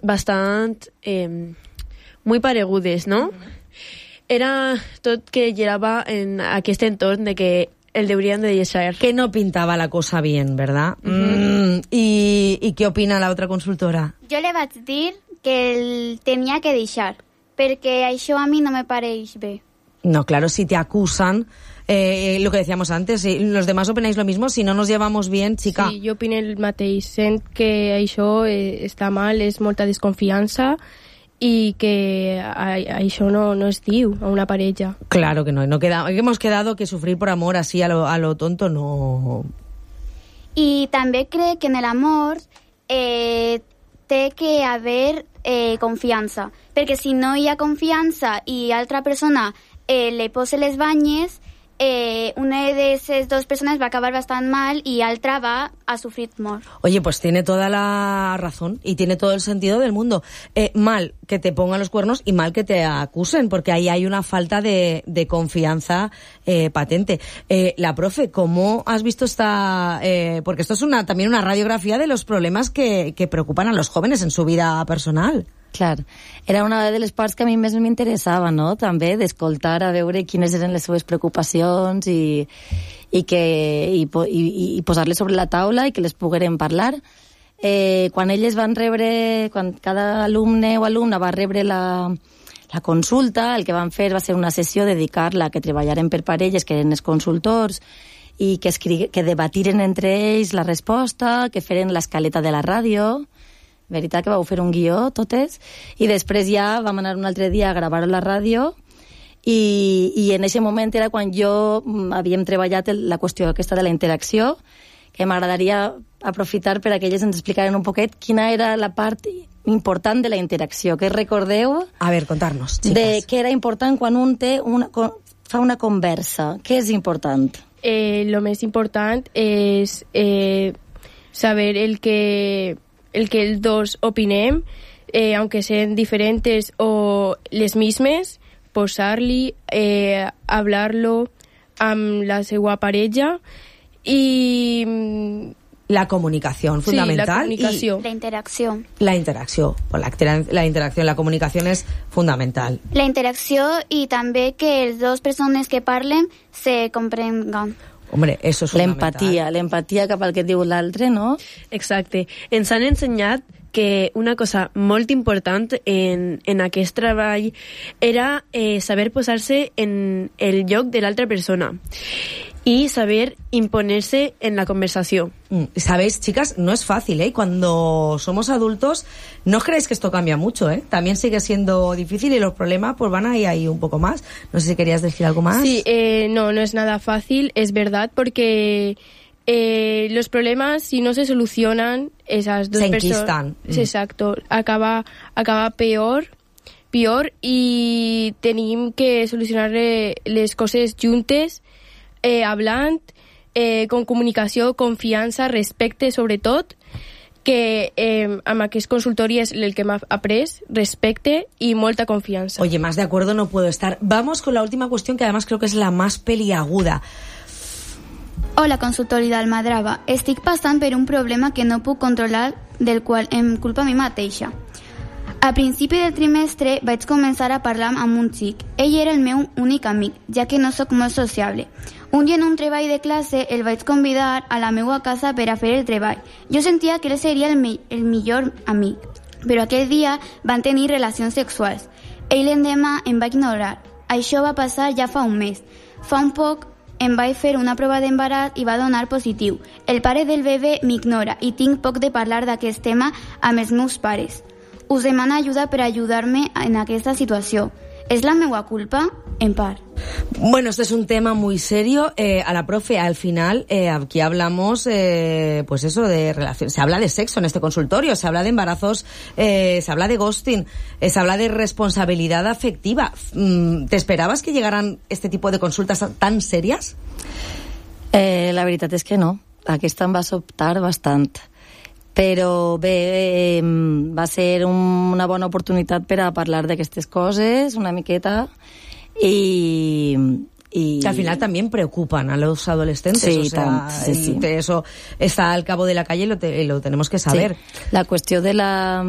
bastant muy paregudes, no? Era tot que girava en aquest entorn de que el deurien de deixar. Que no pintava la cosa bien, ¿verdad? ¿Y qué opina la otra consultora? Jo le vaig dir que el tenia que deixar, perquè això a mi no me pareix bé. No, claro, si te acusan, lo que decíamos antes, los demás opináis lo mismo, si no nos llevamos bien, chica. Sí, jo opino el mateix, sent que això està mal, és molta desconfiança y que això no es diu a una parella. Claro que no, hemos quedado que sufrir por amor así a lo tonto no. I també crec que en l'amor té que haver confiança, perquè si no hi ha confiança i altra persona le posa les banyes, una de esas dos personas va a acabar bastante mal y altra va a sufrir molt. Oye, pues tiene toda la razón y tiene todo el sentido del mundo. Mal que te pongan los cuernos y mal que te acusen, porque ahí hay una falta de confianza patente. La profe, ¿cómo has visto esta...? Porque esto es también una radiografía de los problemas que preocupan a los jóvenes en su vida personal. Clar, era una de les parts que a mi més m'interessava, no?, també, d'escoltar a veure quines eren les seves preocupacions i posar-les sobre la taula i que les poguérem parlar. Quan elles van rebre, quan cada alumne o alumna va rebre la consulta, el que van fer va ser una sessió dedicar-la a que treballaren per parelles, que eren els consultors, i que debatiren entre ells la resposta, que feren l'escaleta de la ràdio. Veritat que vau fer un guió, totes, i després ja vam anar un altre dia a gravar a la ràdio i en aquest moment era quan jo havíem treballat la qüestió aquesta de la interacció, que m'agradaria aprofitar per a que elles ens explicaren un poquet quina era la part important de la interacció. Què recordeu? A ver, contarnos, chicas. De què era important quan un fa una conversa. Què és important? Lo més important és saber el que els dos opinem, aunque sean diferentes o les mismes, posar-li, hablar-lo amb la seva parella i... La comunicación, fundamental. Sí, la comunicació. La interacció. La interacció. La interacción, la comunicación és fundamental. La interacció i també que les dues persones que parlen se comprenguen. Hombre, eso es fundamental. L'empatia cap al que diu l'altre, no? Exacte. Ens han ensenyat que una cosa molt important en aquest treball era saber posar-se en el lloc de l'altra persona y saber imponerse en la conversación. Sabéis, chicas, no es fácil, ¿eh? Cuando somos adultos, no os creéis que esto cambia mucho, ¿eh? También sigue siendo difícil y los problemas pues van ahí un poco más. No sé si querías decir algo más. Sí, no es nada fácil, es verdad, porque los problemas, si no se solucionan, esas dos personas... Se enquistan. Exacto, acaba peor i tenim que solucionar les coses juntes, hablant, con comunicació, confiança, respecte, sobretot, que amb aquest consultori és el que m'ha après, respecte y molta confiança. Oye, más de acuerdo no puedo estar. Vamos con la última cuestión, que además creo que es la más peliaguda. Hola, consultori d'Almadrava. Estic passant per un problema que no puc controlar, del qual em culpa a mi mateixa. A principi del trimestre vaig començar a parlar amb un xic. Ell era el meu únic amic, ja que no sóc molt sociable. Un dia en un treball de classe el vaig convidar a la meva casa per a fer el treball. Jo sentia que ell seria el millor amic, però aquell dia van tenir relacions sexuals. Ell l'endemà em va ignorar. Això va passar ja fa un mes. Fa un poc em vaig fer una prova d'embaràs i va donar positiu. El pare del bebè m'ignora i tinc poc de parlar d'aquest tema amb els meus pares. Us demano ajuda per ajudar-me en aquesta situació. ¿Es la meva culpa? En part. Bueno, este es un tema muy serio. A la profe, al final, aquí hablamos, pues eso, de relaciones. Se habla de sexo en este consultorio, se habla de embarazos, se habla de ghosting, se habla de responsabilidad afectiva. ¿Te esperabas que llegaran este tipo de consultas tan serias? La veritat és que no. Aquesta em va sobtar bastant. Però bé, va ser una bona oportunitat per a parlar d'aquestes coses, una miqueta, y que al final también preocupan a los adolescentes. Sí, o sea, sí. Eso está al cabo de la calle y lo tenemos que saber. Sí. La qüestió de la